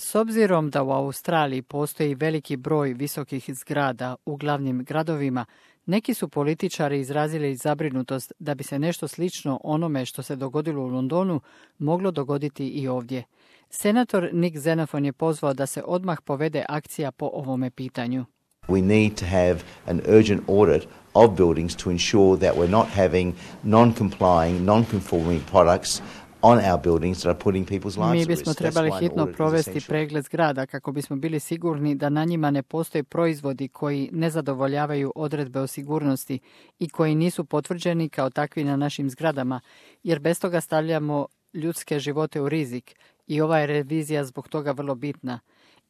S obzirom da u Australiji postoji veliki broj visokih zgrada u glavnim gradovima, neki su političari izrazili zabrinutost da bi se nešto slično onome što se dogodilo u Londonu moglo dogoditi i ovdje. Senator Nick Xenophon je pozvao da se odmah povede akcija po ovome pitanju. We need to have an urgent audit of buildings to ensure that we're not having non-complying, non-conforming products on our buildings that are putting people's lives at risk. Mi bismo trebali hitno provesti pregled zgrada kako bismo bili sigurni da na njima ne postoje proizvodi koji ne zadovoljavaju odredbe o sigurnosti i koji nisu potvrđeni kao takvi na našim zgradama, jer bez toga stavljamo ljudske živote u rizik i ova je revizija zbog toga vrlo bitna.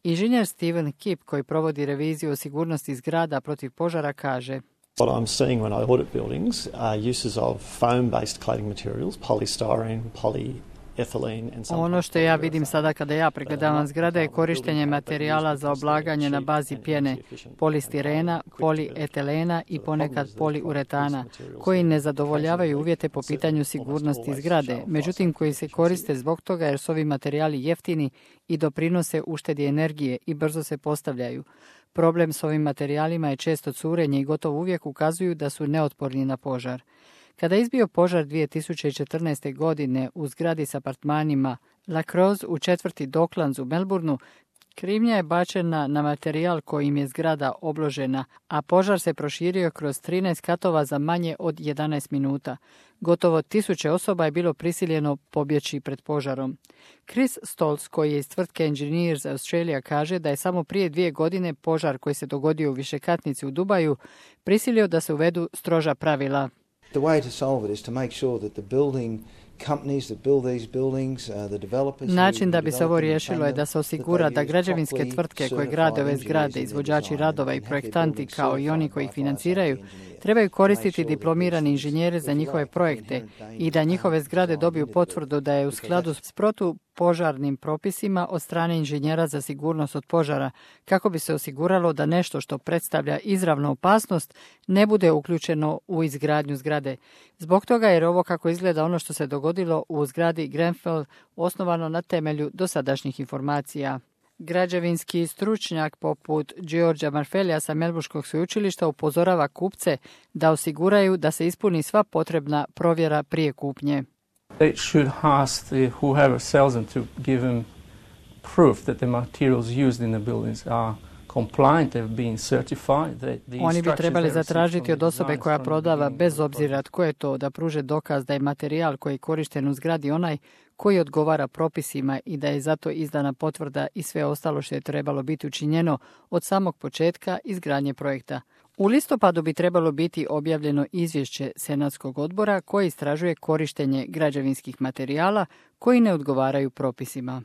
Inženjer Steven Kipp, koji provodi reviziju o sigurnosti zgrada protiv požara, kaže: What I'm seeing when I audit buildings are uses of foam-based cladding materials, polystyrene, polyethylene and some. Ono što ja vidim sada kada ja pregledavam zgrade je korištenje materijala za oblaganje na bazi pjene, polistirena, polietilena i ponekad poliuretana, koji ne zadovoljavaju uvjete po pitanju sigurnosti zgrade, međutim koji se koriste zbog toga jer su ovi materijali jeftini i doprinose uštedi energije i brzo se postavljaju. Problem s ovim materijalima je često curenje i gotovo uvijek ukazuju da su neotporni na požar. Kada je izbio požar 2014. godine u zgradi s apartmanima La Croze u četvrti Docklands u Melbourneu, krivnja je bačena na materijal kojim je zgrada obložena, a požar se proširio kroz 13 katova za manje od 11 minuta. Gotovo 1000 osoba je bilo prisiljeno pobjeći pred požarom. Chris Stoltz, koji je iz tvrtke Engineers Australia, kaže da je samo prije 2 godine požar koji se dogodio u višekatnici u Dubaju prisilio da se uvedu stroža pravila. The way to solve it is to make sure that the building companies that build these buildings, the developers. Način da bi se ovo riješilo je da se osigura da građevinske tvrtke koje grade ove zgrade, izvođači radova i projektanti kao i oni koji ih financiraju, trebaju koristiti diplomirani inženjere za njihove projekte i da njihove zgrade dobiju potvrdu da je u skladu s protupožarnim propisima od strane inženjera za sigurnost od požara, kako bi se osiguralo da nešto što predstavlja izravnu opasnost ne bude uključeno u izgradnju zgrade. Zbog toga jer ovo kako izgleda ono što se dogodilo u zgradi Grenfell osnovano na temelju dosadašnjih informacija. Građevinski stručnjak poput Georgea Marfellija sa Melbourneškog sveučilišta upozorava kupce da osiguraju da se ispuni sva potrebna provjera prije kupnje. They should ask whoever sells them to give them proof that the materials used in the buildings are compliant, they've been certified. Oni bi trebali zatražiti od osobe koja prodava, bez obzira tko je to, da pruže dokaz da je materijal koji je korišten u zgradi onaj koji odgovara propisima i da je zato izdana potvrda i sve ostalo što je trebalo biti učinjeno od samog početka izgradnje projekta. U listopadu bi trebalo biti objavljeno izvješće Senatskog odbora koji istražuje korištenje građevinskih materijala koji ne odgovaraju propisima.